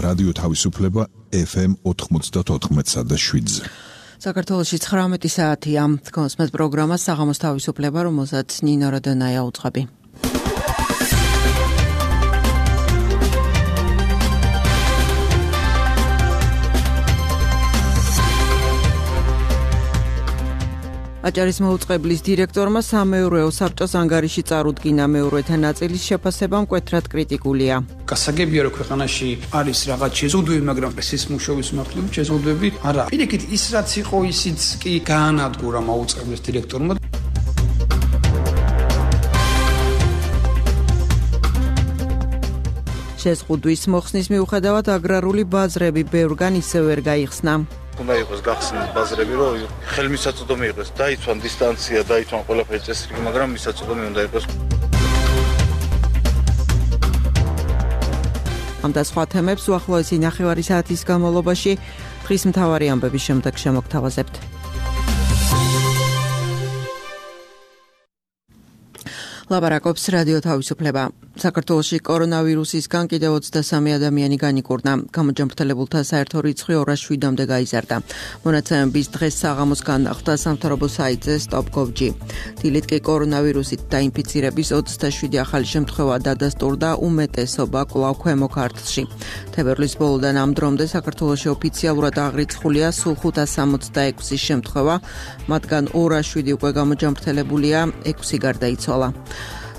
რადიო თავისუფლება FM 94.7-ზე. საქართველოში 19 საათია. გონსმეთ პროგრამა საღამოს თავისუფლება, რომელსაც ნინო როდონაია უძღვები. აჭარის მოუწყებლის დირექტორმა სამეურვეო საბჭოს ანგარიში წარუდგინა. მეურვეთა ნაწილის შეფასება მკვეთრად კრიტიკულია. გასაგებია რომ ქვეყანაში არის რაღაც შეზღუდვები, მაგრამ პრესის მუშაობის მიმართულებით შეზღუდვები არა. პირიქით ის რაც იყო ისიც კი გაანადგურა მოუწყებლის დირექტორმა. შეზღუდვის მოხსნის მიუხედავად აგრარული ბაზრები ბევრგან ისევ ვერ გაიხსნა. უნდა იყოს გახსნილი ბაზრები, რომ ხელმისაწვდომი იყოს, დაიცვან დისტანცია, დაიცვან ყველაფერი წესრიგი, მაგრამ მისაწვდომი უნდა იყოს. ამ და სხვა თემებს უახლოესი ნახევარი საათის განმავლობაში დღის მთავარი ამბების შემდეგ შემოგთავაზებთ. ლაპარაკობს რადიო თავისუფლება. საქართველოში კორონავირუსისგან კიდევ 23 ადამიანი განიკურნა. გამოჯანმრთელებულთა საერთო რიცხვი 207-მდე გაიზარდა. მონაცემების დღეს საღამოს განახლდა სამთავრობო საიტზე stop.gov.g. დილით კი კორონავირუსით დაინფიცირების 27 ახალი შემთხვევა დადასტურდა, უმეტესობა კვლავ ქვემო ქართლში. თებერვლის ბოლოდან ამ დრომდე საქართველოში ოფიციალურად აღრიცხულია სულ 566 შემთხვევა, მათგან 207 უკვე გამოჯანმრთელებულია, 6 გარდაიცვალა.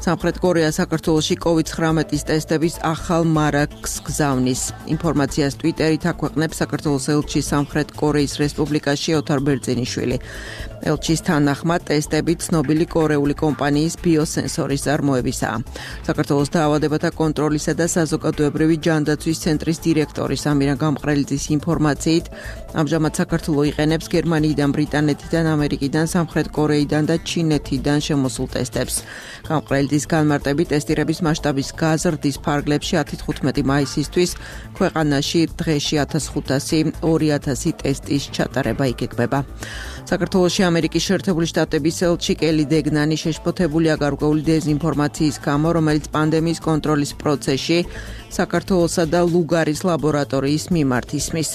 სამხრეთ კორეა საქართველოში COVID-19 ტესტების ახალ მარაგს გზავნის. ინფორმაციას ტვიტერით აქვეყნებს საქართველოს ელჩი სამხრეთ კორეის რესპუბლიკაში ოთარ ბერძენიშვილი. ელჩის თანახმად ტესტები ცნობილი კორეული კომპანიის ბიოსენსორის წარმოებისაა. საქართველოს დაავადებათა კონტროლისა და საზოგადოებრივი ჯანდაცვის ცენტრის დირექტორი სამირა გამყრელიძის ინფორმაციით, ამჟამად საქართველო იყენებს გერმანიიდან, ბრიტანეთიდან, ამერიკიდან, სამხრეთ კორეიდან და ჩინეთიდან შემოსულ ტესტებს. გამყრელიძის განმარტებით ტესტირების მასშტაბის გაზრდის ფარგლებში 10-15 მაისისთვის ქვეყანაში დღეში 1500-2000 ტესტის ჩატარება იგეგმება. საქართველოში ამერიკის შეერთებული შტატების ელჩი კელი დეგნანი შეშფოთებულია გარკვეული დეზინფორმაციის გამო, რომელიც პანდემიის კონტროლის პროცესში საქართველოსა და ლუგარის ლაბორატორიის მიმართ ისმის.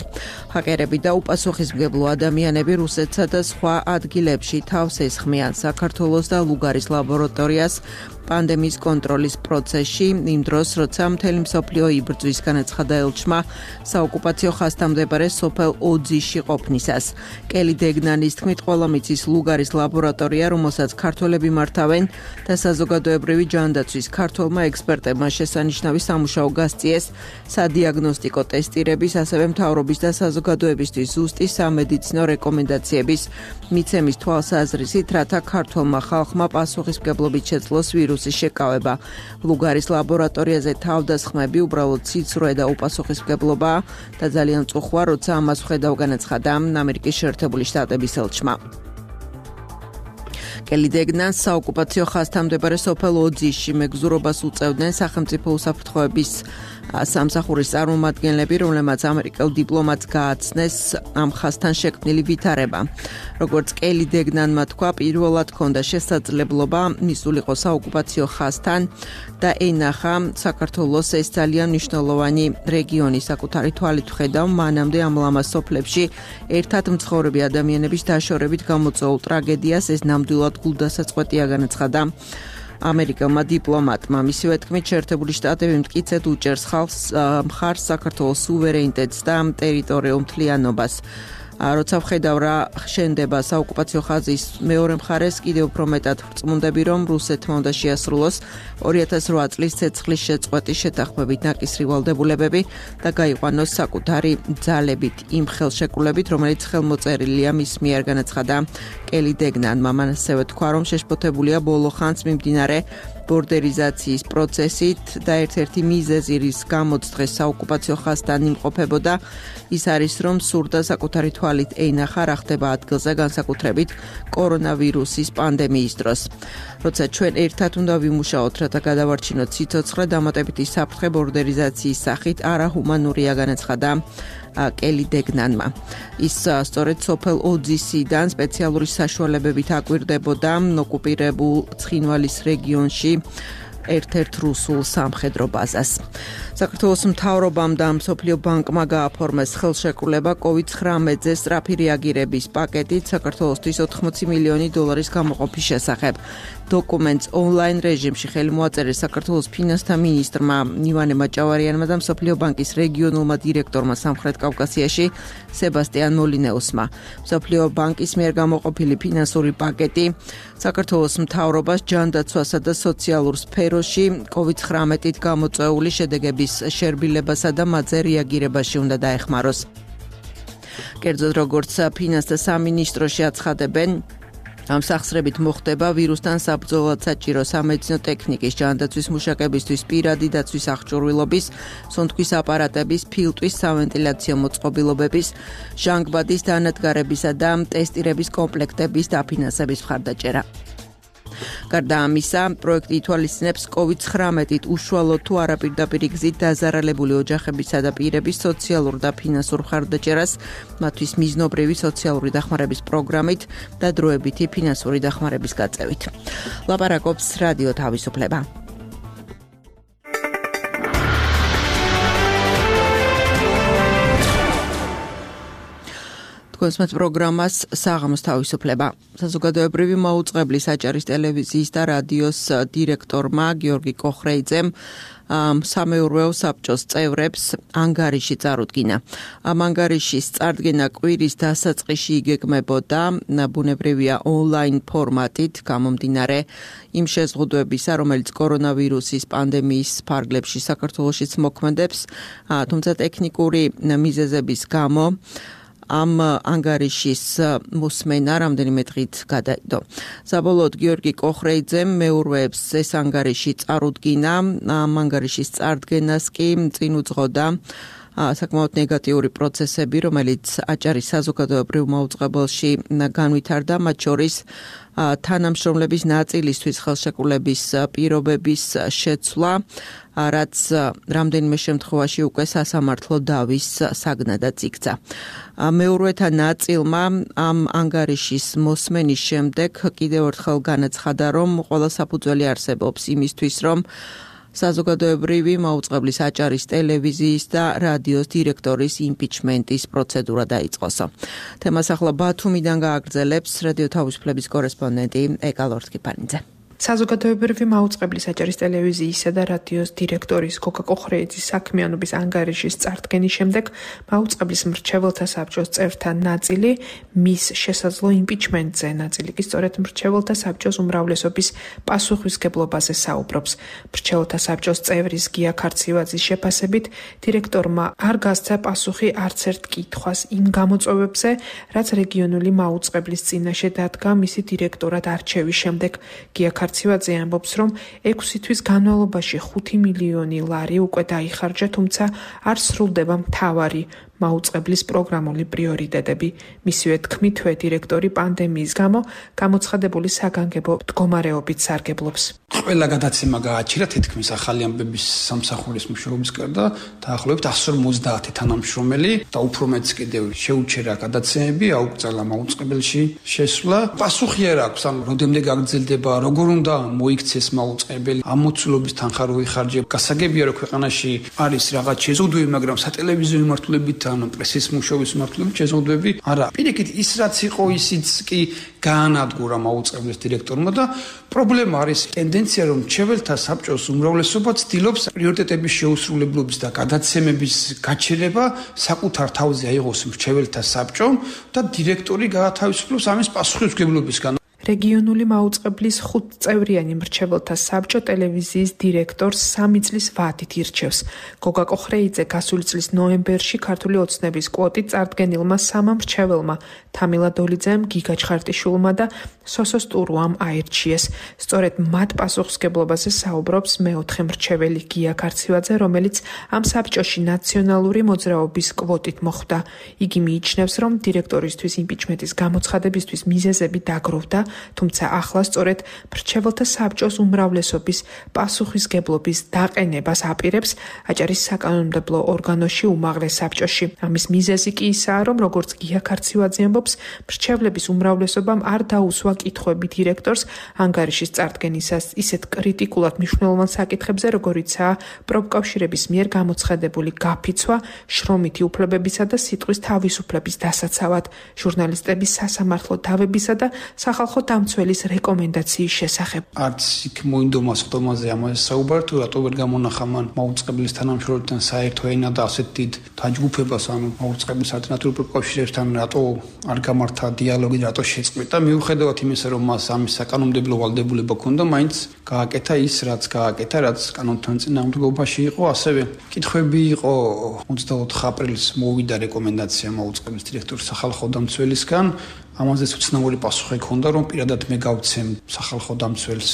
ჰაკერები და უპასუხისმგებლო ადამიანები რუსეთსა და სხვა ადგილებში თავს ესხმიან საქართველოს და ლუგარის ლაბორატორიას პანდემიის კონტროლის პროცესში, იმ დროს, როცა მთელი მსოფლიო იბრძვის, განაცხადა ელჩმა საოკუპაციო ხაზთან მდებარე სოფელ ოძიში ყოფნისას. კელი დეგნანის თქმით, ყველა მიცის ლუგარის ლაბორატორია, რომელსაც ქართველები მართავენ და საზოგადოებრივი ჯანდაცვის ქართველმა ექსპერტებმა შესანიშნავი სამუშაო გასწიეს სადიაგნოსტიკო ტესტირების, ასევე მთავრობის და საზოგადოებისთვის ზუსტი სამედიცინო რეკომენდაციების მიცემის თვალსაზრისით, რათა ქართველმა ხალხმა პასუხისმგებლობით შეძლოს ვირუსის შეკავება. ლუგარის ლაბორატორიაზე თავდასხმები უბრალოდ ციცრუე და უპასუხისმგებლობაა და ძალიან მწუხვა, როცა ამას ვხედავ, განაცხადა ამერიკის შეერთებული შტატების ელჩმა. კელი დეგნანს საოკუპაციო ხაზთან მდებარე სოფელ ოძიში მეგზურობას უწევდნენ სახელმწიფო უსაფრთხოების სამსახურის წარმომადგენლები, რომლებმაც ამერიკელ დიპლომატს გააცნეს ამ ხაზთან შექმნილი ვითარება. როგორც კელი დეგნანმა თქვა, პირველად ჰქონდა შესაძლებლობა მისულიყო საოკუპაციო ხაზთან და ენახა საქართველოს ეს ძალიან მნიშვნელოვანი რეგიონი საკუთარი თვალით ვხედავ, მანამდე ამ ლამაზ სოფლებში ერთად მცხოვრები ადამიანების დაშორებით გამოწვეულ ტრაგედიას ეს ნამდვილად გულდასაწყვეტია, განაცხადა ამერიკელმა დიპლომატმა. მისივე თქმით, შეერთებული შტატები მტკიცედ უჭერს ხალხს მხარს საქართველოს სუვერენიტეტს და ტერიტორიულ მთლიანობას. როცა ვხედავ რა შენდება საოკუპაციო ხაზის მეორე მხარეს, კიდევ უფრო მეტად ვწმუნდები, რომ რუსეთმა უნდა შეასრულოს 2008 წლის ცეცხლის შეწყვეტის შეთანხმებით ნაკისრი ვალდებულებები და გაიყვანოს საკუთარი ძალებით იმ ხელშეკრულებით, რომელიც ხელმოწერილია მის მიერ, განაცხადა კელი დეგნანმა. მან ასევე თქვა, რომ შეშფოთებულია ბოლო ხანს მიმდინარე ბორდერიზაციის პროცესით და ერთ-ერთი მიზეზი, რის გამოც დღეს საოკუპაციო ხაზთან იმყოფებოდა, ის არის, რომ სურდა საკუთარი თვალით ენახა რა ხდება ადგილზე, განსაკუთრებით კორონავირუსის პანდემიის დროს. როცა ჩვენ ერთად უნდა ვიმუშაოთ, რათა გადავარჩინოთ სიცოცხლე, დამატებითი საფრთხე ბორდერიზაციის სახით არაჰუმანურია, განაცხადა კელი დეგნანმა. ის სწორედ სოფელ ოძისიდან სპეციალური საშუალებებით აკვირდებოდა ოკუპირებულ ცხინვალის რეგიონში ერთ-ერთ რუსულ სამხედრო ბაზას. საქართველოს მთავრობამ და მსოფლიო ბანკმა გააფორმეს ხელშეკრულება COVID-19-ზე სწრაფი რეაგირების პაკეტით საქართველოსთვის 80 მილიონი დოლარის გამოყოფის შესახებ. დოკუმენტს ონლაინ რეჟიმში ხელი მოაწერეს საქართველოს ფინანსთა მინისტრმა ივანე მაჭავარიანმა და მსოფლიო ბანკის რეგიონულმა დირექტორმა სამხრეთ კავკასიაში სებასტიან მოლინეუსმა. მსოფლიო ბანკის მიერ გამოყოფილი ფინანსური პაკეტი საქართველოს მთავრობას ჯანდაცვასა და სოციალურ სფეროში COVID-19-ით გამოწვეული შედეგების შერბილებასა და მათზე რეაგირებაში უნდა დაეხმაროს. კერძოდ, როგორც ფინანსთა სამინისტროში აცხადებენ, ამ სახსრებით მოხდება ვირუსთან საბრძოლოდ საჭირო სამედიცინო ტექნიკის, ჯანდაცვის მუშაკებისთვის პირადი დაცვის აღჭურვილობის, სუნთქვის აპარატების, ფილტვის, სავენტილაციო მოწყობილობების, ჟანგბადის დანადგარებისა და ტესტირების კომპლექტების დაფინანსების მხარდაჭერა. გარდა ამისა, პროექტი ითვალისწინებს COVID-19-ით უშუალო თუ არაპირდაპირ გზით დაზარალებული ოჯახებისა და პირების სოციალურ და ფინანსურ მხარდაჭერას, მათთვის მიზნობრივი სოციალური დახმარების პროგრამით და დროებითი ფინანსური დახმარების გაწევით. ლაპარაკობს რადიო თავისუფლება. კონსმეთ პროგრამას საღამოს თავისუფლება. საზოგადოებრივი მაუწყებლის აჭარის ტელევიზიის და რადიოს დირექტორმა გიორგი კოხრეიძემ სამეურვეო საბჭოს წევრებს ანგარიში წარუდგინა. ამ ანგარიშის წარდგენა კვირის დასაწყისში იგეგმებოდა ბუნებრივია ონლაინ ფორმატით გამომდინარე იმ შეზღუდვებისა, რომელიც კორონავირუსის პანდემიის ფარგლებში საქართველოშიც მოქმედებს, თუმცა ტექნიკური მიზეზების გამო ამ ანგარიშის მოსმენა რამდენიმე დღით გადაიდო. საბოლოოდ გიორგი კოხრეიძემ მეურვეებს ეს ანგარიში წარუდგინა, ამ ანგარიშის წარდგენას კი წინ უძღოდა საკმაოდ ნეგატიური პროცესები, რომელიც აჭარის საზოგადოებრივ მაუწყებელში განვითარდა, მათ შორის თანამშრომლების ნაწილისთვის ხელშეკრულების პირობების შეცვლა, რაც რამდენიმე შემთხვევაში უკვე სასამართლო დავის საგნადაც იქცა. მეურვეთა ნაწილმა ამ ანგარიშის მოსმენის შემდეგ კიდევ ერთხელ განაცხადა, რომ ყველა საფუძველი არსებობს იმისთვის, რომ საზოგადოებრივი მაუწყებლის აჭარის ტელევიზიის და რადიოს დირექტორის იმპიჩმენტის პროცედურა დაიწყოსო. თემას ახლა ბათუმიდან გააგრძელებს რადიო თავისუფლების კორესპონდენტი ეკა ლორთქიფანიძე. საზოგადოებრივი მაუწყებლის აჭარის ტელევიზიისა და რადიოს დირექტორის გოგა კოხრეიძის საქმიანობის ანგარიშის წარდგენის შემდეგ მაუწყებლის მრჩეველთა საბჭოს წევრთა ნაწილი მის შესაძლო იმპიჩმენტზე, ნაწილი კი სწორედ მრჩეველთა საბჭოს უმრავლესობის პასუხისგებლობაზე საუბრობს. მრჩეველთა საბჭოს წევრის გია ქარცივაძის შეფასებით, დირექტორმა არ გასცა პასუხი არც ერთ კითხვას იმ გამოწვევებზე, რაც რეგიონული მაუწყებლის წინაშე დადგა მისი დირექტორად არჩევის შემდეგ. გია ქარცივაძე ამბობს, რომ 6 თვის განმავლობაში 5 მილიონი ლარი უკვე დაიხარჯა, თუმცა არ სრულდება მთავარი მაუწყებლის პროგრამული პრიორიტეტები. მისივე თქმითვე დირექტორი პანდემიის გამო გამოცხადებული საგანგებო მდგომარეობით სარგებლობს. ყველა გადაცემა გააჩერა თითქმის ახალი ამბების სამსახურის მუშაობის გარდა, დაახლოებით 150 თანამშრომელი და უფრო მეც კიდევ შეუჩერა გადაცემები, აუკრძალა მაუწყებელში შესვლა. პასუხი არ აქვს, ან როდემდე გაგრძელდება, როგორ უნდა მოიქცეს მაუწყებელი, ამ მოცულობის თანხა რო იხარჯება. გასაგებია, რომ ქვეყანაში არის რაღაც შეზღუდვები, მაგრამ სატელევიზიო მიმართულებით ან პრესის მუშაობის მიმართულებით შეზღუდვები არა. პირიქით ის რაც იყო, ისიც კი გაანადგურა მაუწყებლის დირექტორმა და პრობლემა არის ტენდენცია, რომ მრჩეველთა საბჭოს უმრავლესობა ცდილობს პრიორიტეტების შეუსრულებლობის და გადაცემების გაჩერება საკუთარ თავზე აიღოს მრჩეველთა საბჭომ და დირექტორი გაათავისუფლოს ამის პასუხისმგებლობისგან. რეგიონული მაუწყებლის 5-წევრიანი მრჩეველთა საბჭო ტელევიზიის დირექტორს 3 წლის ვადით ირჩევს. გოგა კოხრეიძე გასული წლის ნოემბერში ქართული ოცნების კვოტით წარდგენილმა 3 მრჩეველმა თამილა დოლიძემ, გიგა ჩხარტიშვილმა და სოსო სტურუამ აირჩიეს. სწორედ მათ პასუხისმგებლობაზე საუბრობს მეოთხე მრჩეველი გია ქარცივაძე, რომელიც ამ საბჭოში ნაციონალური მოძრაობის კვოტით მოხვდა. იგი მიიჩნევს, რომ დირექტორისთვის იმპიჩმენტის გამოცხადებისთვის მიზეზები დაგროვდა, თუმცა ახლა სწორედ მრჩეველთა საბჭოს უმრავლესობის პასუხისგებლობის დაყენებას აპირებს აჭარის საკანონმდებლო ორგანოში უმაღლეს საბჭოში. ამის მიზეზი კი ისაა, რომ როგორც გია ქარცივაძე ამბობს, ამბობს, მრჩევლების უმრავლესობამ არ დაუსვა კითხვები დირექტორს ანგარიშის წარდგენისას ისეთ კრიტიკულად მნიშვნელოვან საკითხებზე, როგორიცაა პროფკავშირების მიერ გამოცხადებული გაფიცვა, შრომითი უფლებებისა და სიტყვის თავისუფლების დასაცავად, ჟურნალისტების სასამართლო დავებისა და სახალხო დამცველის რეკომენდაციის შესახებ. არც იქ მოინდომა სხდომაზე ამაზე საუბარი, თუ რატო ვერ გამონახა მან მაუწყებლის თანამშრომლებთან საერთო ენა და ასეთ დიდ დაჯგუფებას, ანუ მაუწყებლის ალტერნატიულ პროფკავშირებთან რატო არ გამართა დიალოგი, რატო შეწყვიტა, მიუხედავად იმისა, რომ მას ამის საკანონმდებლო ვალდებულება ჰქონდა, მაინც გააკეთა ის, რაც გააკეთა, რაც კანონთან წინააღმდეგობაში იყო, ასევე კითხვები იყო 24 აპრილს მოვიდა რეკომენდაცია მაუწყებლის დირექტორის სახალხო დამცველისგან, ამაზეც უცნაური პასუხი ჰქონდა, რომ პირადად მე გავცემ სახალხო დამცველს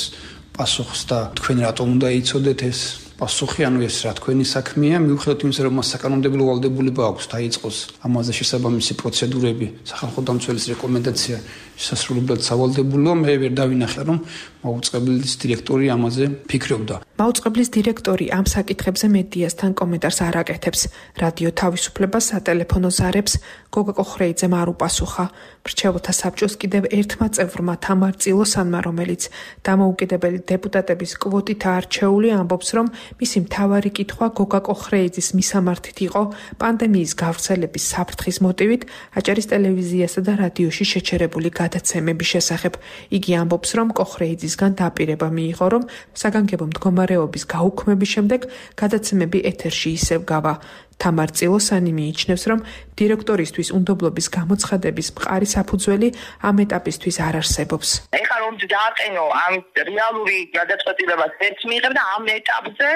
პასუხს და თქვენ რატომ უნდა იცოდეთ ეს პასუხი, ანუ ეს რა თქვენი საქმეა, მიუხედავად იმისა, რომ მას საკანონმდებლო ვალდებულება აქვს დაიწყოს ამაზე შესაბამისი პროცედურები, სახალხო დამცველის რეკომენდაცია შესასრულებლად სავალდებულოა, მე ვერ დავინახე, რომ მაუწყებლის დირექტორი ამაზე ფიქრობდა. მაუწყებლის დირექტორი ამ საკითხებზე მედიასთან კომენტარს არ აკეთებს. რადიო თავისუფლებას სატელეფონო ზარებს გოგა კოხრეიძემ არ უპასუხა. მრჩეველთა საბჭოს კიდევ ერთმა წევრმა თამარ წილოსანმა, რომელიც დამოუკიდებელი დეპუტატების კვოტით არჩეული, ამბობს, რომ მისი მთავარი კითხვა გოგა კოხრეიძის მისამართით იყო პანდემიის გავრცელების საფრთხის მოტივით აჭარის ტელევიზიასა და რადიოში შეჩერებული გადაცემების შესახებ. იგი ამბობს, რომ კოხრეიძისგან დაპირება მიიღო, რომ საგანგებო მდგომარეობის გაუქმების შემდეგ გადაცემები ეთერში ისევ გავა. თამარ წილოსანი მიიჩნევს, რომ დირექტორისთვის უნდობლობის გამოცხადების მყარი საფუძველი ამ ეტაპისთვის არ არსებობს. ეხლა რომ დააყენო ამ რეალური გადაწყვეტილებას ერთ მიიღებ და ამ ეტაპზე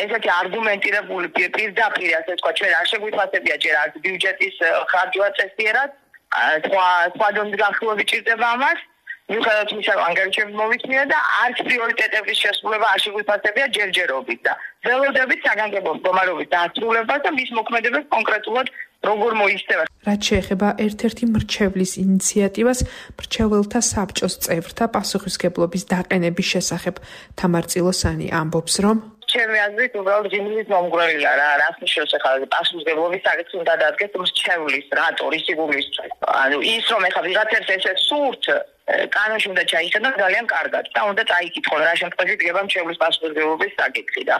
ესეთი არგუმენტირებული პირდაპირ ასე თქვა ჩვენ არ შეგვიფასებია ჯერ არც ბიუჯეტის ხარჯვა წესიერად სხვა დონის განხილვები ჭირდება ამას. მიუხედავად იმისა, რომ ანგარიშები მოვიწმია და არც პრიორიტეტების შესრულება არ შეგვიფასებია ჯერჯერობით და ველოდებით საგანგებო მდგომარეობის დასრულებას და მის მოქმედებას კონკრეტულად როგორ მოიხსნება. რაც შეეხება ერთ-ერთი მრჩევლის ინიციატივას, მრჩეველთა საბჭოს წევრთა პასუხისგებლობის დაყენების შესახებ, თამარ წილოსანი ამბობს, რომ ჩემი აზრით უბრალოდ ღიმილის მომგვრელია რა, რას ნიშნავს ახლა პასუხისგებლობის საკითხი უნდა დადგეს მრჩევლის რატო რისი გულისთვის. ანუ ის რომ ახლა ვიღაცებს ესე სურთ კანონში უნდა ჩაიხედო ძალიან კარგად და უნდა წაიკითხონ რა შემთხვევაში დგება მრჩევლის პასუხისგებლობის საკითხი და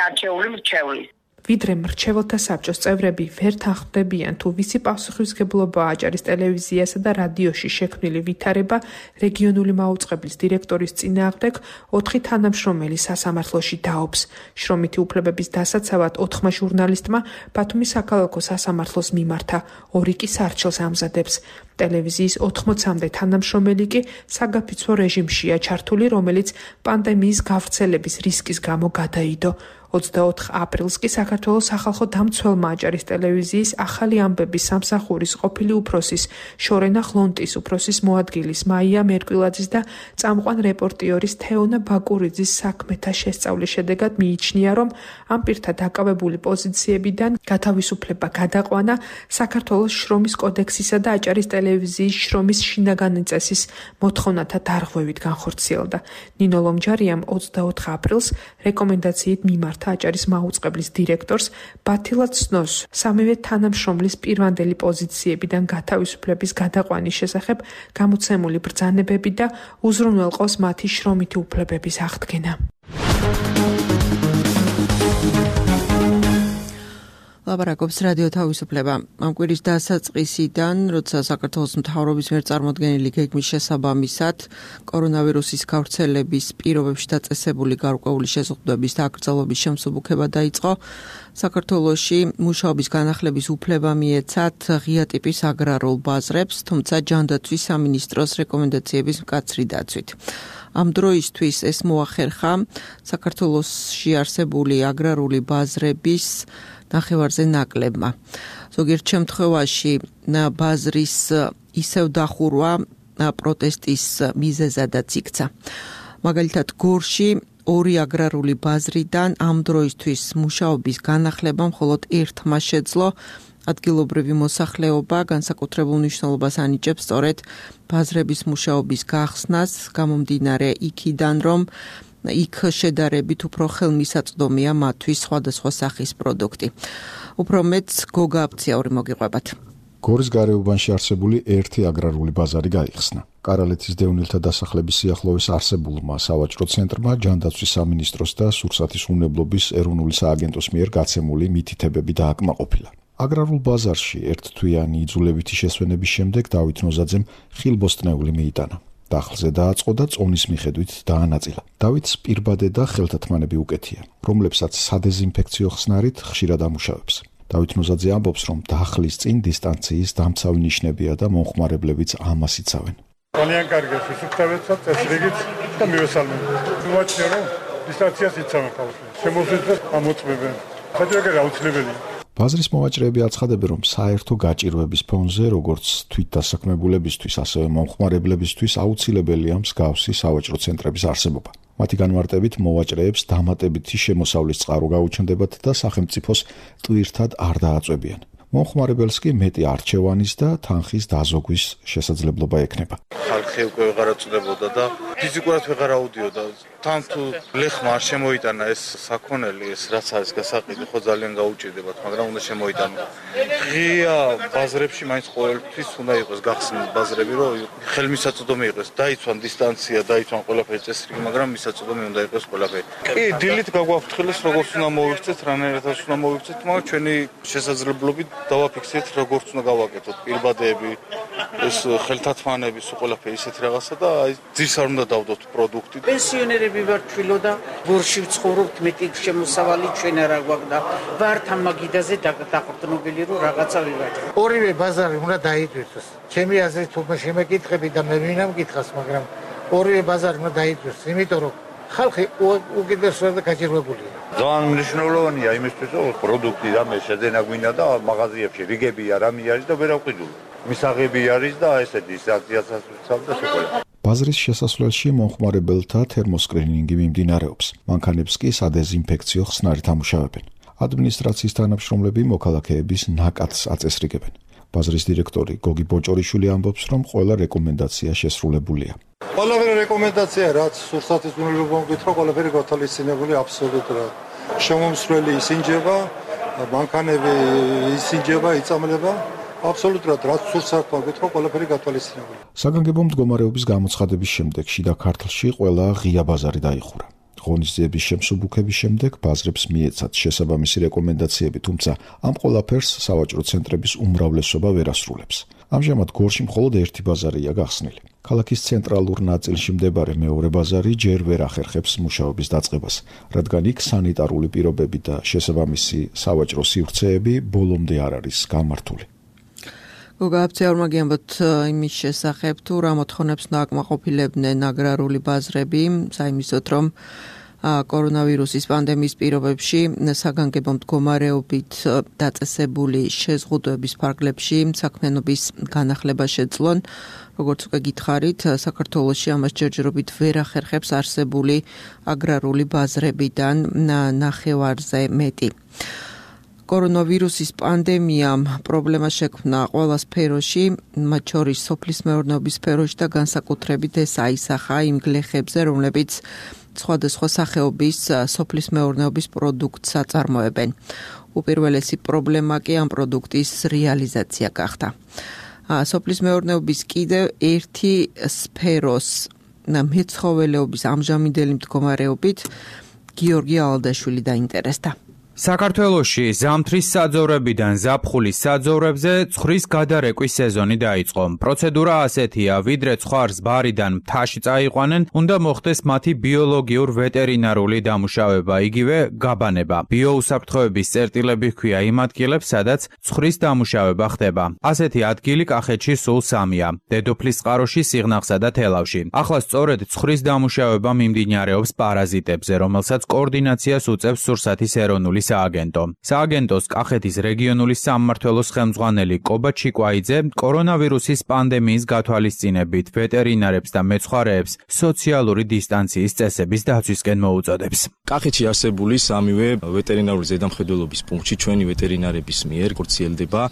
არჩეული მრჩევლის. ვიდრე მრჩეველთა საბჭოს წევრები ვერ თანხმდებიან, თუ ვისი პასუხისგებლობაა აჭარის ტელევიზიასა და რადიოში შექმნილი ვითარება რეგიონული მაუწყებლის დირექტორის წინააღმდეგ 4 თანამშრომელი სასამართლოში დაობს. შრომითი უფლებების დასაცავად 4 ჟურნალისტმა ბათუმის საქალაქო სასამართლოს მიმართა, 2 კი სარჩელს ამზადებს. ტელევიზიის 80-მდე თანამშრომელი კი საგაფიცვო რეჟიმშია ჩართული, რომელიც პანდემიის გავრცელების რისკის გამო გადაიდო. 24 აპრილს კი საქართველოს სახალხო დამცველმა აჭარის ტელევიზიის ახალი ამბების სამსახურის ყოფილი უფროსის შორენა ხლონტის უფროსის მოადგილის მაია მერკვილაძის და წამყვან რეპორტიორის თეონა ბაკურიძის საქმეთა შესწავლის შედეგად მიიჩნია, რომ ამ პირთა დაკავებული პოზიციებიდან გათავისუფლება გადაყვანა საქართველოს შრომის კოდექსისა და აჭარის ტელევიზიის შრომის შინაგანი წესის მოთხოვნათა დარღვევით განხორციელდა. ნინო ლომჯარიამ 24 აპრილს რეკომენდაციით მიმართა აჭარის მაუწყებლის დირექტორს ბათილად სნოს სამივე თანამშრომლის პირვანდელი პოზიციებიდან გათავისუფლების გადაყვანის შესახებ გამოცემული ბრძანებები და უზრუნველყოს მათი შრომითი უფლებების აღდგენა. ლაპარაკობს რადიო თავისუფლება. ამ კვირის დასაწყისიდან, როცა საქართველოს მთავრობის მიერ წარმოდგენილი გეგმის შესაბამისად კორონავირუსის გავრცელების პირობებში დაწესებული გარკვეული შეზღუდვების და აკრძალვების შემსუბუქება დაიწყო, საქართველოში მუშაობის განახლების უფლება მიეცათ ღია ტიპის აგრარულ ბაზრებს, თუმცა ჯანდაცვის სამინისტროს რეკომენდაციების მკაცრი დაცვით. ამ დროისთვის ეს მოახერხა საქართველოში არსებული აგრარული ბაზრების ნახევარზე ნაკლებმა. ზოგიერთ შემთხვევაში ბაზრის ისევ დახურვა პროტესტის მიზეზადაც იქცა. მაგალითად, გორში 2 აგრარული ბაზრიდან ამ დროისთვის მუშაობის განახლება მხოლოდ ერთმა შეძლო. ადგილობრივი მოსახლეობა განსაკუთრებულ მნიშვნელობას ანიჭებს სწორედ ბაზრების მუშაობის გახსნას, გამომდინარე იქიდან, რომ იქ შედარებით უფრო ხელმისაწვდომია მათთვის სხვადასხვა სახის პროდუქტი. უფრო მეტს გოგა აფციაური მოგიყვებათ. გორის გარეუბანში არსებული ერთი აგრარული ბაზარი გაიხსნა. კარალეთის დევნილთა დასახლების სიახლოვეს არსებულმა სავაჭრო ცენტრმა ჯანდაცვის სამინისტროს და სურსათის უნებლობის ეროვნული სააგენტოს მიერ გაცემული მითითებები დააკმაყოფილა. აგრარულ ბაზარში ერთთვიანი იძულებითი შესვენების შემდეგ დავით ნოზაძემ ხილბოსტნეული მიიტანა. დახლზე დააწყო და წონის მიხედვით დაანაწილა. დავითს პირბადე და ხელთათმანები უკეთია, რომლებსაც სადეზინფექციო ხსნარით ხშირად ამუშავებს. დავით ნოზაძე ამბობს, რომ დახლის წინ დისტანციის დამცავი ნიშნებია და მომხმარებლებიც ამას იცავენ. ძალიან კარგია სიცხებეცად წესრიგით და მივესალმებით. ვაჩნიე რომ დისტანციას იცავენ ხალხი. შემოგვიძეს ამოწმებენ. საჭიროა აუცილებელია. ბაზრის მოვაჭრეები აცხადებენ, რომ საერთო გაჭირვების ფონზე, როგორც თვითდასაქმებულებისთვის, ასევე მომხმარებლებისთვის აუცილებელია მსგავსი სავაჭრო ცენტრების არსებობა. მათი განმარტებით მოვაჭრეებს დამატებითი შემოსავლის წყარო გაუჩნდებათ და სახელმწიფოს ტვირთად არ დააწვევიან. მომხმარებელს კი მეტი არჩევანის და თანხის დაზოგვის შესაძლებლობა ექნება. ხალხი უკვე ვეღარ აწვდებოდა და ფიზიკურად ვეღარ აუდიოდა. თან თუ ლეხმა არ შემოიტანა ეს საქონელი, ეს რაც არის გასაყიდო, ხო ძალიან გაუჭირდებათ, მაგრამ უნდა შემოიტანო. ღია ბაზრებში მაინც ყოველთვის უნდა იყოს გახსნილი ბაზრები, რომ ხელმისაწვდომი იყოს, დაიცვან დისტანცია, დაიცვან ყველაფერი წესრიგი, მაგრამ მისაწვდომი უნდა იყოს ყველაფერი. კი, დილით გაგვაფრთხილეს, როგორც უნდა მოვიქცეთ, რანაირადაც უნდა მოვიქცეთ, მაგრამ ჩვენი შესაძლებლობით დავაფიქსირეთ, როგორც უნდა გავაკეთოთ პირბადეები, ეს ხელთათმანები, სულ ყველაფერი ისეთი რაღაცა და აი ძირს არ უნდა დავდოთ პროდუქტი. პენსიონერები ვარ თვილო და გორში ვცხოვრობთ, მეტი შემოსავალი ჩვენ არა გვაქვს და ვართ ამ მაგიდაზე დაყრდნობილი რომ რაღაცა ვივაჭროთ. ორივე ბაზარი უნდა დაიდვირთოს. ჩემი აზრით თუ შემეკითხები და მე ვინამ გითხას, მაგრამ ორივე ბაზარი უნდა დაიდვირთოს, იმიტომ რომ ხალხი უკიდურესად გაჭირვებულია. ძალიან მნიშვნელოვანია იმისთვის, რომ პროდუქტი რამე შეძენა გვინდა და მაღაზიებში რიგები არამე არის და ვერ ავყიდულ. მისაღები არის და ესეთი სანქციასაც ვიცავ და სულ. ბაზრის შესასვლელში მომხმარებელთა თერმოსკრინინგი მიმდინარეობს. მანქანებს კი სადეზინფექციო ხსნარით ამუშავებენ. ადმინისტრაციის თანამშრომლები მოქალაქეების ნაკადს აწესრიგებენ. ბაზრის დირექტორი გოგი ბოჭორიშვილი ამბობს, რომ ყველა რეკომენდაცია შესრულებულია. ყველაფერი რეკომენდაცია, რაც სურსათის უნებლობა მოგვითხრა, ყველაფერი გათვალისწინებული აბსოლუტურად. შემომსვლელი ისინჯება, მანქანები ისინჯება, იწამლება. აბსოლუტურად რაც სურსათმა გვითხრა, ყველაფერი გათვალისწინებული. საგანგებო მდგომარეობის გამოცხადების შემდეგ შიდა ქართლში ყველა ღია ბაზარი დაიხურა. ღონისძიების შემსუბუქების შემდეგ ბაზრებს მიეცათ შესაბამისი რეკომენდაციები, თუმცა ამ ყველაფერს სავაჭრო ცენტრების უმრავლესობა ვერ ასრულებს. ამჟამად გორში მხოლოდ ერთი ბაზარია გახსნილი. ქალაქის ცენტრალურ ნაწილში მდებარე მეორე ბაზარი ჯერ ვერ ახერხებს მუშაობის დაწყებას, რადგან იქ სანიტარული პირობები და შესაბამისი სავაჭრო სივრცეები ბოლომდე არ არის გამართული. გოგა აფცეორმა გიამბოთ იმის შესახებ, თუ რა მოთხოვნებს უნდა აკმაყოფილებდნენ აგრარული ბაზრები, საიმისოდ რომ კორონავირუსის პანდემიის პირობებში საგანგებო მდგომარეობით დაწესებული შეზღუდვების ფარგლებში საქმიანობის განახლება შეძლონ. როგორც უკვე გითხარით, საქართველოში ამას ჯერჯერობით ვერ ახერხებს არსებული აგრარული ბაზრებიდან ნახევარზე მეტი. კორონავირუსის პანდემიამ პრობლემა შექმნა ყველა სფეროში, მათ შორის სოფლის მეურნეობის სფეროში და განსაკუთრებით ეს აისახა იმ გლეხებზე, რომლებიც სხვადასხვა სახეობის სოფლის მეურნეობის პროდუქტს აწარმოებენ. უპირველესი პრობლემა კი ამ პროდუქტის რეალიზაცია გახდა. სოფლის მეურნეობის კიდევ ერთი სფეროს მეცხოველეობის ამჟამინდელი მდგომარეობით გიორგი ალადაშვილი დაინტერესდა. საქართველოში ზამთრის საძოვრებიდან ზაფხულის საძოვრებზე ცხრის გადარეკვის სეზონი დაიწყო. პროცედურა ასეთია, ვიდრე ცხარს ბარიდან მთაში წაიყვანენ, უნდა მოხდეს მათი ბიოლოგიურ ვეტერინარული დამუშავება, იგივე გაბანება. ბიოუსაფრთხოების წერტილები ჰქვია იმ ადგილებს, სადაც ცხრის დამუშავება ხდება. ასეთი ადგილი კახეთში სულ 3-ია: დედოფლის წყაროში, სიღნაღსა და თელავში. ახლა სწორედ ცხრის დამუშავება მიმდინარეობს პარაზიტებზე, რომელსაც კოორდინაციას უწევს სურსათის ეროვნული სააგენტო. სააგენტოს კახეთის რეგიონული სამმართველოს ხელმძღვანელი კობა ჩიკვაიძე კორონავირუსის პანდემიის გათვალისწინებით ვეტერინარებს და მეცხვარეებს სოციალური დისტანციის წესების დაცვისკენ მოუწოდებს. კახეთში არსებული სამივე ვეტერინარული ზედამხედველობის პუნქტში ჩვენი ვეტერინარების მიერ ხორციელდება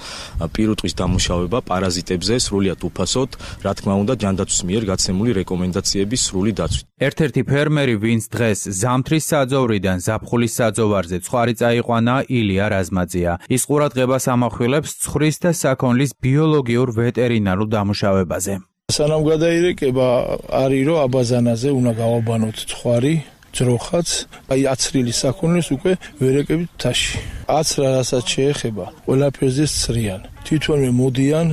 პირუტყვის დამუშავება პარაზიტებზე სრულიად უფასოდ, რა თქმა უნდა, ჯანდაცვის მიერ გაცემული რეკომენდაციების სრული დაცვით. ერთ-ერთი ფერმერი, ვინც დღეს ზამთრის საძოვრიდან ზაფხულის საძოვარზე ცხარი წაიყვანა, ილია რაზმაძეა. ის ყურადღებას ამახვილებს ცხრის და საქონლის ბიოლოგიურ ვეტერინარულ დამუშავებაზე. სანამ გადაირეკება არის რომ აბაზანაზე უნდა გავაბანოთ ცხარი ძროხაც, აი აცრილი საქონლის უკვე ვერეკებით თაში. აცრა რასაც შეეხება, ყველაფერზე სცრიან. თვითონვე მოდიან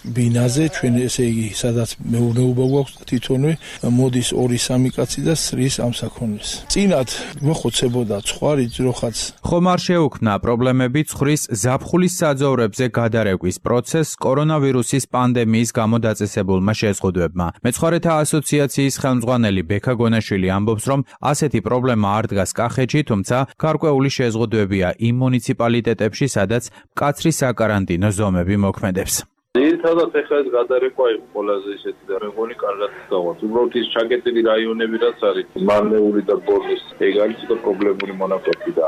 ბინაზე, ჩვენ ესე იგი, სადაც მეურნეობა გვაქვს და თვითონვე მოდის 2-3 კაცი და სცრის ამ საქონლის. წინათ მოხოცებოდა ცხარი ძროხაც. ხომ არ შეუქმნა პრობლემები ცხრის ზაფხულის საძოვრებზე გადარეკვის პროცესს კორონავირუსის პანდემიის გამო დაწესებულმა შეზღუდვებმა. მეცხვარეთა ასოციაციის ხელმძღვანელი ბექა გონაშვილი ამბობს, რომ ასეთი პრობლემა არ დგას კახეთში, თუმცა გარკვეული შეზღუდვებია იმ მუნიციპალიტეტებში, სადაც მკაცრი საკარანტინო ზომები მოქმედებს. ძირითადად ეხლა ეს გადარეკვა იყო ყველაზე ისეთი და მე მგონი კარგად გავართ. უბრალოდ ის ჩაკეტილი რაიონები რაც არის, მარნეული და ბორნის, ეგ არის ცოტა პრობლემური მონაკვეთი და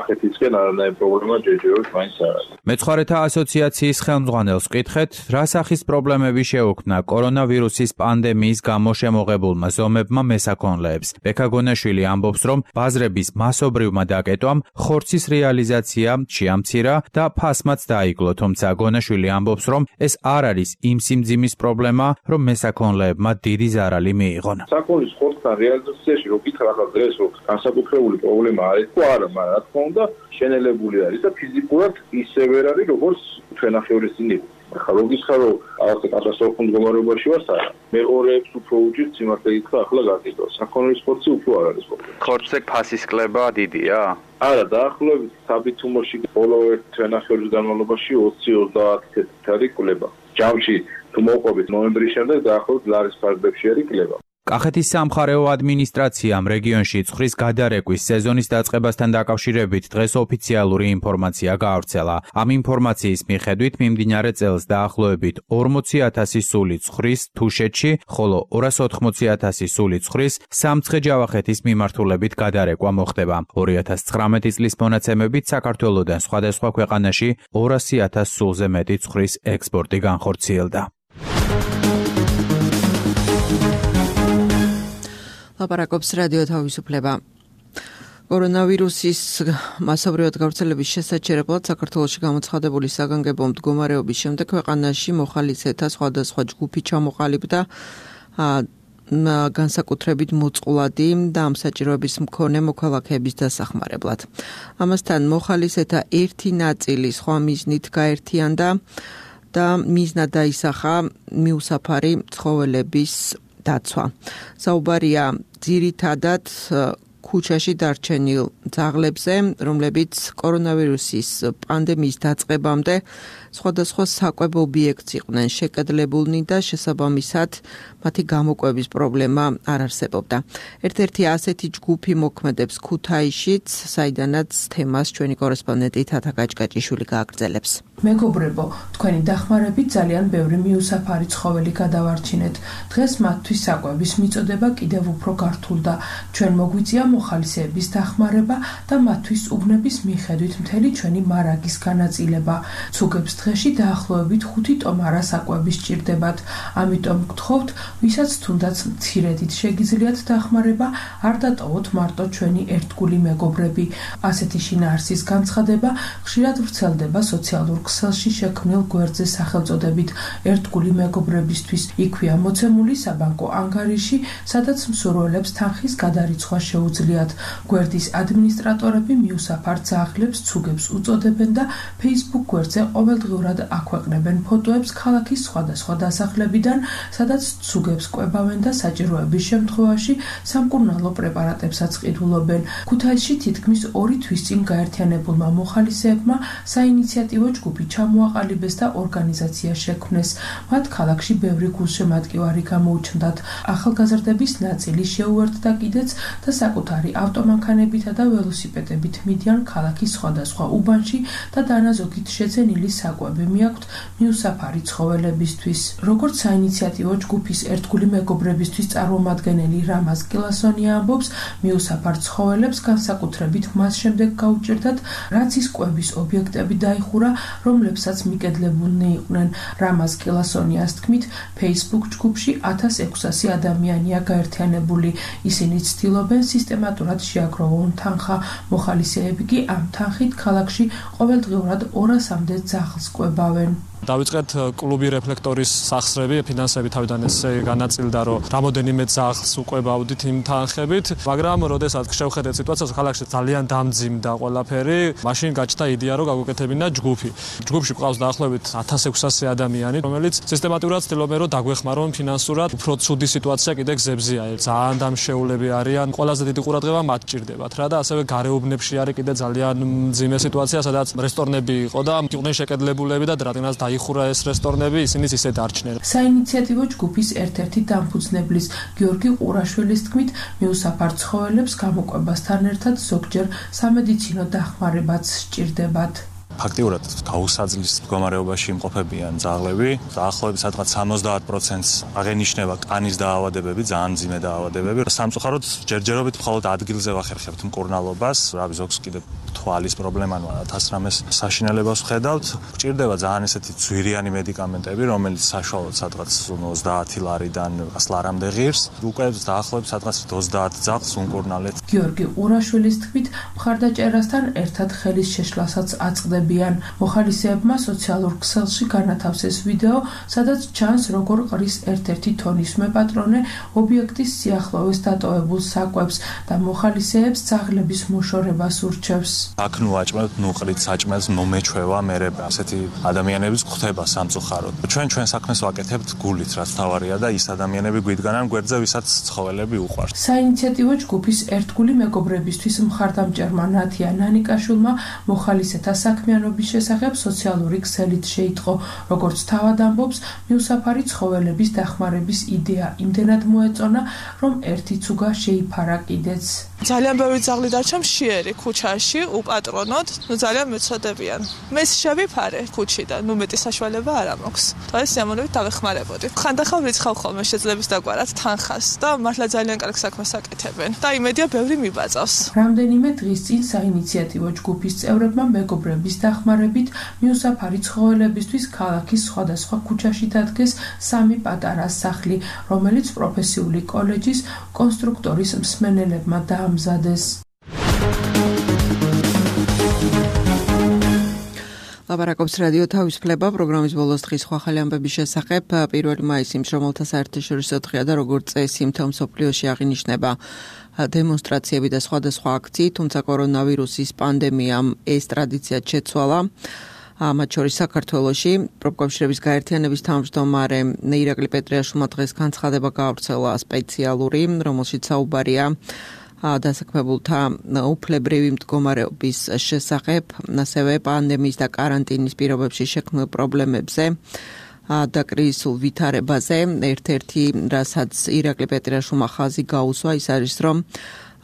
ახეთისკენ არანაირი პრობლემა ჯერჯერობით მაინც არ არის. მეცხვარეთა ასოციაციის ხელმძღვანელს ვკითხეთ, რა სახის პრობლემები შეუქმნა კორონავირუსის პანდემიის გამო შემოღებულმა ზომებმა მესაქონლეებს. ბექა გონაშვილი ამბობს, რომ ბაზრების მასობრივმა დაკეტვამ ხორცის რეალიზაცია შეამცირა და ფასმაც დაიკლო, თუმცა გონაშვილი ამბობს, რომ ეს არ არის იმ სიმძიმის პრობლემა, რომ მესაქონლეებმა დიდი ზარალი მიიღონ. საქონლის ხორცთან რეალიზაციაში რო გითხრა ახლა დღეს რომ განსაკუთრებული პრობლემა არის თუ არა, მაგრამ რა თქმა უნდა შენელებული არის და ფიზიკურად ისევ ვერ არის როგორც ჩვენახევრის წინ იყო. ახლა რო გითხრა რომ ახლა კატასტროფულ მდგომარეობაში ვართ არა. მე ორეებს უფრო უჭირთ სიმართლე გითხრა ახლა გაგიდო. საქონლის ხორცი უფრო არ არის პრობლემა. ხორცზე ფასის კლება დიდია? არა, დაახლოებით საბითუმოში ბოლო ერთ ჩვენახევრის განმავლობაში 20-30 წელი კლება. ჯამში თუ მოყვებით ნოემბრის შემდეგ დაახლოებით ლარის ფარგლებში არის კლება. კახეთის სამხარეო ადმინისტრაციამ რეგიონში ცხრის გადარეკვის სეზონის დაწყებასთან დაკავშირებით დღეს ოფიციალური ინფორმაცია გაავრცელა. ამ ინფორმაციის მიხედვით მიმდინარე წელს დაახლოებით 40,000 სული ცხრის თუშეთში, ხოლო 280,000 სული ცხრის სამცხე-ჯავახეთის მიმართულებით გადარეკვა მოხდება. 2019 წლის მონაცემებით საქართველოდან სხვადასხვა ქვეყანაში 200,000 სულზე მეტი ცხრის ექსპორტი განხორციელდა. ლაპარაკობს რადიო თავისუფლება. კორონავირუსის მასობრივად გავრცელების შესაჩერებლად საქართველოში გამოცხადებული საგანგებო მდგომარეობის შემდეგ ქვეყანაში მოხალისეთა სხვადასხვა ჯგუფი ჩამოყალიბდა განსაკუთრებით მოწყვლადი და ამ საჭიროების მქონე მოქალაქეების დასახმარებლად. ამასთან მოხალისეთა ერთი ნაწილი სხვა მიზნით გაერთიანდა და მიზნად დაისახა მიუსაფარი ცხოველების დაცვა. საუბარია ძირითადად ქუჩაში დარჩენილ ძაღლებზე, რომლებიც კორონავირუსის პანდემიის დაწყებამდე სხვადასხვა საკვებ ობიექტს იყვნენ შეკედლებულნი და შესაბამისად მათი გამოკვების პრობლემა არ არსებობდა. ერთ-ერთი ასეთი ჯგუფი მოქმედებს ქუთაისშიც, საიდანაც თემას ჩვენი კორესპონდენტი თათა გაჭკაჭიშვილი გააგრძელებს. მეგობრებო, თქვენი დახმარებით ძალიან ბევრი მიუსაფარი ცხოველი გადავარჩინეთ. დღეს მათთვის საკვების მიწოდება კიდევ უფრო გართულდა. ჩვენ მოგვიწია მოხალისეების დახმარება და მათთვის უბნების მიხედვით მთელი ჩვენი მარაგის განაწილება. ცუგებს დღეში დაახლოებით 5 ტომარა საკვები სჭირდებათ. ამიტომ გთხოვთ, ვისაც თუნდაც მცირედით შეგიძლიათ დახმარება, არ დატოვოთ მარტო ჩვენი ერთგული მეგობრები. ასეთი შინაარსის განცხადება ხშირად ვრცელდება სოციალურ ქსელში შექმნილ გვერდზე სახელწოდებით ერთგული მეგობრებისთვის. იქვეა მოცემული საბანკო ანგარიში, სადაც მსურველებს თანხის გადარიცხვა შეუძლიათ. გვერდის ადმინისტრატორები მიუსაფარ ძაღლებს ცუგებს უწოდებენ და Facebook გვერდზე ყოველდღიურად აქვეყნებენ ფოტოებს ქალაქის სხვადასხვა დასახლებიდან, სადაც ცუგებს კვებავენ და საჭიროების შემთხვევაში სამკურნალო პრეპარატებსაც ყიდულობენ. ქუთაისში თითქმის 2 თვის წინ გაერთიანებულმა მოხალისეებმა საინიციატივო ჯგუფი ჩამოაყალიბეს და ორგანიზაცია შექმნეს. მათ ქალაქში ბევრი გულშემატკივარი გამოუჩნდათ. ახალგაზრდების ნაწილი შეუერთდა კიდეც და საკუთარი ავტომანქანებითა და ველოსიპედებით მიდიან ქალაქის სხვადასხვა უბანში და დანაზოგით შეძენილი საკვები მიაქვთ მიუსაფარი ცხოველებისთვის. როგორც საინიციატივო ჯგუფის ერთგული მეგობრებისთვის წარმომადგენელი რამაზ კილასონია ამბობს, მიუსაფარ ცხოველებს განსაკუთრებით მას შემდეგ გაუჭირდათ, რაც ის კვების ობიექტები დაიხურა, რომლებსაც მიკედლებულნი იყვნენ. რამაზ კილასონიას თქმით, Facebook ჯგუფში 1600 ადამიანია გაერთიანებული. ისინი ცდილობენ სისტემატურად შეაგროვონ თანხა. მოხალისეები კი ამ თანხით ქალაქში ყოველდღიურად 200-მდე ძაღლს კვებავენ. დავიწყეთ კლუბი რეფლექტორის სახსრები, ფინანსები თავიდან ესე განაწილდა, რომ რამოდენიმე ძაღლს უყვებავდით იმ თანხებით, მაგრამ როდესაც შევხედეთ სიტუაციას, ქალაქში ძალიან დამძიმდა ყველაფერი, მაშინ გაჩნდა იდეა, რომ გაგვეკეთებინა ჯგუფი. ჯგუფში ყავს დაახლოებით 1600 ადამიანი, რომელიც სისტემატურად ცდილობენ, რომ დაგვეხმარონ ფინანსურად. უფრო ცუდი სიტუაცია კიდე გზებზეა. ძალიან დამშეულები არიან, ყველაზე დიდი ყურადღება მათ ჭირდებათ რა და ასევე გარეუბნებში არის კიდე ძალიან მძიმე სიტუაცია, სადაც რესტორნები იყო და იყვნენ შეკედლებულები და რადგანაც იხურა ეს რესტორნები, ისინიც ისე დარჩნენ. საინიციატივო ჯგუფის ერთ-ერთი დამფუძნებლის გიორგი ყურაშვილის თქმით, მიუსაფარ ცხოველებს გამოკვებასთან ერთად ზოგჯერ სამედიცინო დახმარებაც სჭირდებათ. ფაქტიურად გაუსაძლის მდგომარეობაში იმყოფებიან ძაღლები. დაახლოებით სადღაც 70%-ს აღენიშნება კანის დაავადებები, ძალიან მძიმე დაავადებები. სამწუხაროდ ჯერჯერობით მხოლოდ ადგილზე ვახერხებთ მკურნალობას, რავი ზოგს კიდე თვალის პრობლემა, 1000 რამეს საშინელებას ვხედავთ. გჭირდება ძალიან ესეთი ძვირიანი მედიკამენტები, რომელიც საშუალოდ სადღაც 30 ლარიდან 100 ლარამდე ღირს. უკვე დაახლოებით სადღაც 30 ძაღლს უმკურნალეთ. გიორგი ყურაშვილის თქმით, მხარდაჭერასთან ერთად ხელის შეშლასაც აწყდება. მოხალისეებმა სოციალურ ქსელში განათავსეს ვიდეო, სადაც ჩანს, როგორ ყრის ერთ-ერთი თონისმე პატრონე ობიექტის სიახლოვეს დატოვებულ საკვებს და მოხალისეებს ძაღლების მოშორებას ურჩევს. აქ ნუ აჭმევთ, ნუ ყრით საჭმელს, მომეჩვევა მერე. ასეთი ადამიანების გვხვდება სამწუხაროდ. ჩვენ საქმეს ვაკეთებთ გულით, რაც თავარია და ის ადამიანები გვიდგანან გვერდზე, ვისაც ცხოველები უყვართ. საინიციატივო ჯგუფის ერთგული მეგობრებისთვის მხარდამჭერმა ნათია ნანიკაშვილმა მოხალისეთა საქმიანობის შესახებ სოციალური ქსელით შეიტყო, როგორც თავად ამბობს, მიუსაფარი ცხოველების დახმარების იდეა იმდენად მოეწონა, რომ ერთიც უგა შეიფარა კიდეც. ძალიან ბევრი ძაღლი დარჩა მშიერი ქუჩაში უპატრონოდ, ძალიან მეცოდებიან. მე შევიფარე ქუჩიდან, მეტი საშუალება არ მაქვს. და ეს სიამოვნებით დავეხმარებოდი. ხანდახან ვიცხავ ხოლმე შეძლებს დაგვარად თანხას და მართლა ძალიან კარგ საქმეს აკეთებენ და იმედია ბევრი მიბაწავს. რამდენიმე დღის წინ საინიციატივო ჯგუფის წევრებმა მეგობრების დახმარებით მიუსაფარი ცხოველებისთვის ქალაქის სხვადასხვა ქუჩაში დადგეს 3 პატარა სახლი, რომელიც პროფესიული კოლეჯის კონსტრუქტორის მსმენელებმა დაამზადეს. ლაპარაკობს რადიო თავისუფლება პროგრამის ბოლოს დღის ხვალ ამბების შესახებ. 1 მაისი მშრომელთა საერთაშორისო დღეა და როგორც წესი მთელ მსოფლიოში აღინიშნება დემონსტრაციები და სხვადასხვა აქციები, თუმცა კორონავირუსის პანდემიამ ეს ტრადიცია შეცვალა. მათ შორის საქართველოში პროფკავშირების გაერთიანების თავმჯდომარე ირაკლი პეტრიაშვილმა დღეს განცხადება გაავრცელა სპეციალური, რომელშიც საუბარია დასაქმებულთა უფლებრივი მდგომარეობის შესახებ, ასევე პანდემიის და კარანტინის პირობებში შექმნილ პრობლემებზე და კრიზისულ ვითარებაზე. ერთ-ერთი, რასაც ირაკლი პეტრიაშვილმა ხაზი გაუსვა, ის არის, რომ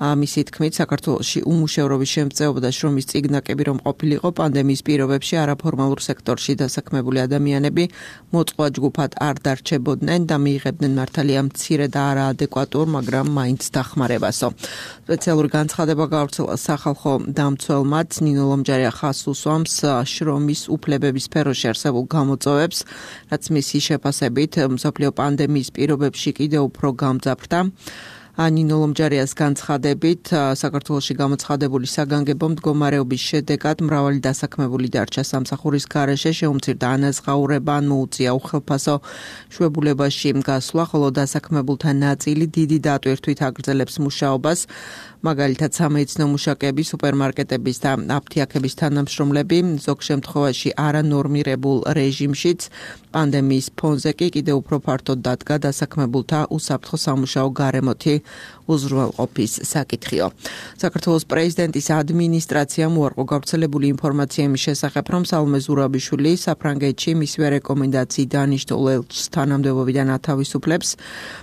მისი თქმით, საქართველოში უმუშევრობის შემწეობა და შრომის წიგნაკები რომ ყოფილიყო პანდემიის პირობებში არაფორმალურ სექტორში დასაქმებული ადამიანები მოწყვა ჯგუფად არ დარჩებოდნენ და მიიღებდნენ მართალია მცირე და არაადეკვატურ, მაგრამ მაინც დახმარებასო. სპეციალური განცხადება გაავრცელა სახალხო დამცველმაც ნინო ლომჯარია ხაზს უსვამს შრომის უფლებების სფეროში არსებულ გამოწვევებს, რაც მისი შეფასებით მსოფლიო პანდემიის პირობებში კიდევ უფრო გამძაფრდა. ნინო ლომჯარიას განცხადებით, საქართველოში გამოცხადებული საგანგებო მდგომარეობის შედეგად მრავალი დასაქმებული დარჩა სამსახურის გარეშე, შეუმცირდა ანაზღაურება, ან მოუწია უხელფასო შვებულებაში გასვლა, ხოლო დასაქმებულთა ნაწილი დიდი დატვირთვით აგრძელებს მუშაობას. მაგალითად, სამედიცინო მუშაკები, სუპერმარკეტების და აფთიაქების თანამშრომლები, ზოგ შემთხვევაში არანორმირებულ რეჟიმშიც, პანდემიის ფონზე კი კიდევ უფრო ფართოდ დადგა დასაქმებულთა უსაფრთხო სამუშაო გარემოთი უზრუნველყოფის საკითხიო. საქართველოს პრეზიდენტის ადმინისტრაციამ უარყო გავრცელებული ინფორმაცია იმის შესახებ, რომ სალომე ზურაბიშვილი საფრანგეთში მისივე რეკომენდაციით დანიშნულ ელჩს თანამდებობიდან ათავისუფლებს.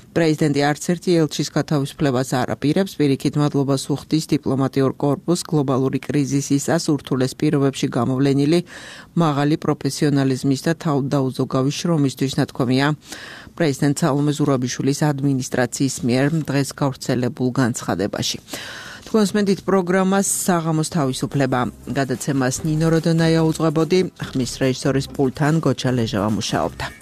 პრეზიდენტი არც ერთი ელჩის გათავისუფლებას არ აპირებს, პირიქით მადლობას უხდის დიპლომატიურ კორპუსს გლობალური კრიზისისას ურთულეს პირობებში გამოვლენილი მაღალი პროფესიონალიზმის და თავდაუზოგავი შრომისთვის, ნათქვამია პრეზიდენტ სალომე ზურაბიშვილის ადმინისტრაციის მიერ დღეს გავრცელებულ განცხადებაში. თქვენს მენდით პროგრამას საღამოს თავისუფლება გადაცემას ნინო როდონაია უძღვებოდი, ხმის რეჟისორის პულთან გოჩა ლეჟავა მუშაობდა.